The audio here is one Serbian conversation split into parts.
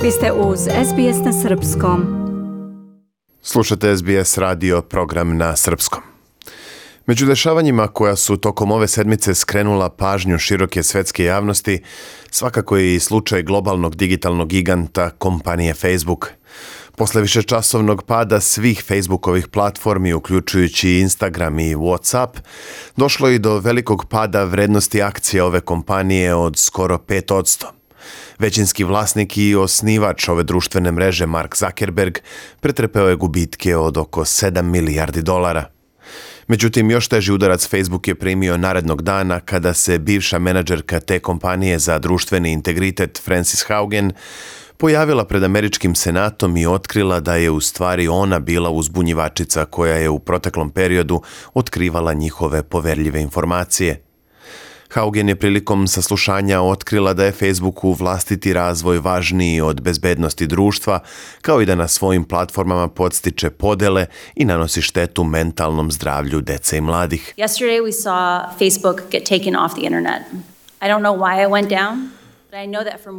Vi ste uz SBS na Srpskom. Slušate SBS radio, program na srpskom. Među dešavanjima koja su tokom ove sedmice skrenula pažnju široke svetske javnosti, svakako je i slučaj globalnog digitalnog giganta kompanije Facebook. Posle višečasovnog pada svih Facebookovih platformi, uključujući Instagram i WhatsApp, došlo i do velikog pada vrednosti akcija ove kompanije od skoro 5%. Većinski vlasnik i osnivač ove društvene mreže Mark Zuckerberg pretrpeo je gubitke od oko $7 milijardi. Međutim, još teži udarac Facebook je primio narednog dana kada se bivša menadžerka te kompanije za društveni integritet Frances Haugen pojavila pred američkim senatom i otkrila da je u stvari ona bila uzbunjivačica koja je u proteklom periodu otkrivala njihove poverljive informacije. Haugen je prilikom saslušanja otkrila da je Facebooku vlastiti razvoj važniji od bezbednosti društva, kao i da na svojim platformama podstiče podele i nanosi štetu mentalnom zdravlju dece i mladih. Yesterday we saw Facebook get taken off the internet. I don't know why it went down.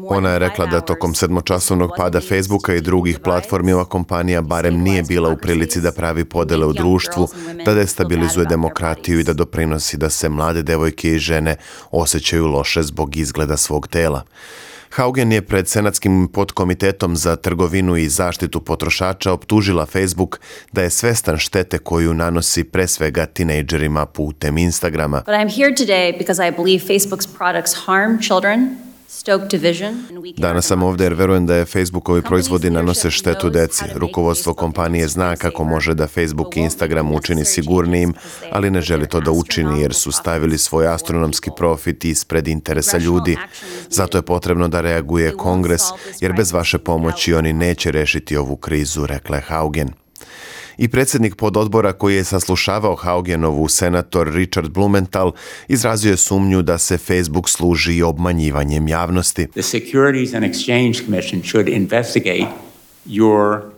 Ona je rekla da tokom sedmočasovnog pada Facebooka i drugih platformi ova kompanija barem nije bila u prilici da pravi podele u društvu, da destabilizuje demokratiju i da doprinosi da se mlade devojke i žene osjećaju loše zbog izgleda svog tela. Haugen je pred Senatskim podkomitetom za trgovinu i zaštitu potrošača optužila Facebook da je svestan štete koju nanosi pre svega tinejdžerima putem Instagrama. But I'm here today because I believe Facebook's products harm children. Danas sam ovdje jer verujem da je Facebookovi proizvodi nanose štetu deci. Rukovodstvo kompanije zna kako može da Facebook i Instagram učini sigurnijim, ali ne želi to da učini jer su stavili svoj astronomski profit ispred interesa ljudi. Zato je potrebno da reaguje Kongres, jer bez vaše pomoći oni neće rešiti ovu krizu, rekla je Haugen. I predsjednik pododbora koji je saslušavao Haugenovu, senator Richard Blumenthal, izrazio je sumnju da se Facebook služi obmanjivanjem javnosti. The Securities and Exchange Commission should investigate your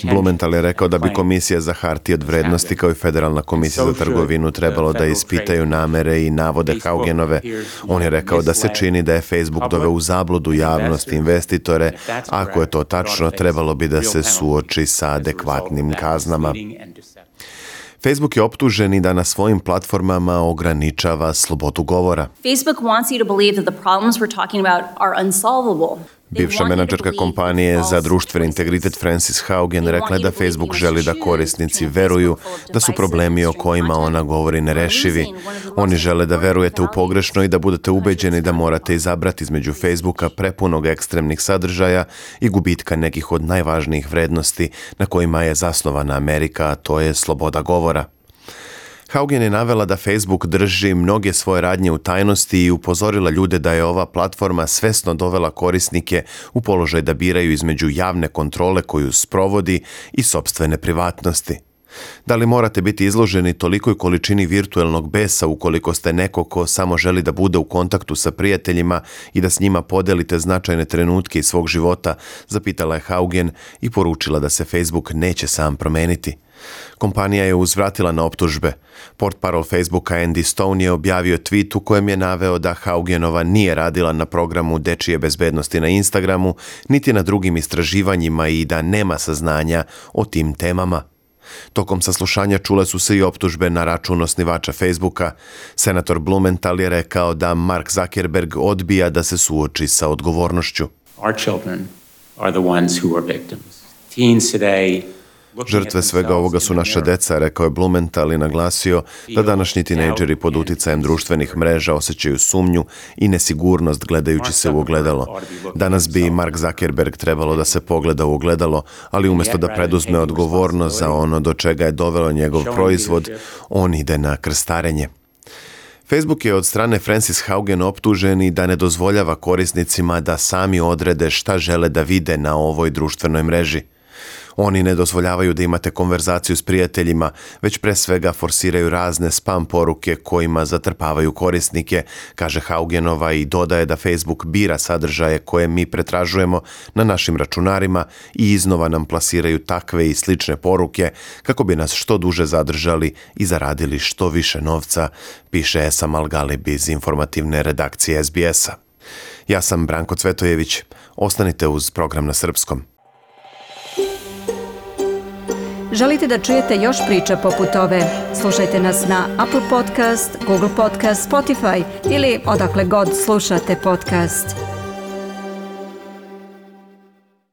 Blumenthal je rekao da bi Komisija za hartije od vrednosti kao i Federalna komisija za trgovinu trebalo da ispitaju namere i navode Haugenove. On je rekao da se čini da je Facebook doveo u zabludu javnost i investitore. Ako je to tačno, trebalo bi da se suoči sa adekvatnim kaznama. Facebook je optužen i da na svojim platformama ograničava slobodu govora. Facebook wants you to believe that the problems we're talking about are unsolvable. Bivša menadžerka kompanije za društveni integritet Frances Haugen rekla je da Facebook želi da korisnici veruju da su problemi o kojima ona govori nerešivi. Oni žele da verujete u pogrešno i da budete ubeđeni da morate izabrati između Facebooka prepunog ekstremnih sadržaja i gubitka nekih od najvažnijih vrednosti na kojima je zasnovana Amerika, a to je sloboda govora. Haugen je navela da Facebook drži mnoge svoje radnje u tajnosti i upozorila ljude da je ova platforma svesno dovela korisnike u položaj da biraju između javne kontrole koju sprovodi i sopstvene privatnosti. Da li morate biti izloženi tolikoj količini virtuelnog besa ukoliko ste neko ko samo želi da bude u kontaktu sa prijateljima i da s njima podelite značajne trenutke iz svog života, zapitala je Haugen i poručila da se Facebook neće sam promeniti. Kompanija je uzvratila na optužbe. Portparol Facebooka Andy Stone je objavio tweet u kojem je naveo da Haugenova nije radila na programu dečije bezbednosti na Instagramu, niti na drugim istraživanjima i da nema saznanja o tim temama. Tokom saslušanja čule su se i optužbe na račun osnivača Facebooka. Senator Blumenthal je rekao da Mark Zuckerberg odbija da se suoči sa odgovornošću. Our children are the ones who are victims. Teens today. Žrtve svega ovoga su naša deca, rekao je Blumenthal i naglasio da današnji tinejdžeri pod uticajem društvenih mreža osjećaju sumnju i nesigurnost gledajući se u ogledalo. Danas bi Mark Zuckerberg trebalo da se pogleda u ogledalo, ali umjesto da preduzme odgovornost za ono do čega je dovelo njegov proizvod, on ide na krstarenje. Facebook je od strane Frances Haugen optužen i da ne dozvoljava korisnicima da sami odrede šta žele da vide na ovoj društvenoj mreži. Oni ne dozvoljavaju da imate konverzaciju s prijateljima, već pre svega forsiraju razne spam poruke kojima zatrpavaju korisnike, kaže Haugenova i dodaje da Facebook bira sadržaje koje mi pretražujemo na našim računarima i iznova nam plasiraju takve i slične poruke kako bi nas što duže zadržali i zaradili što više novca, piše Esam Al-Galib iz informativne redakcije SBS-a. Ja sam Branko Cvetojević. Ostanite uz program na srpskom. Želite da čujete još priča poput ove? Slušajte nas na Apple Podcast, Google Podcast, Spotify ili odakle god slušate podcast.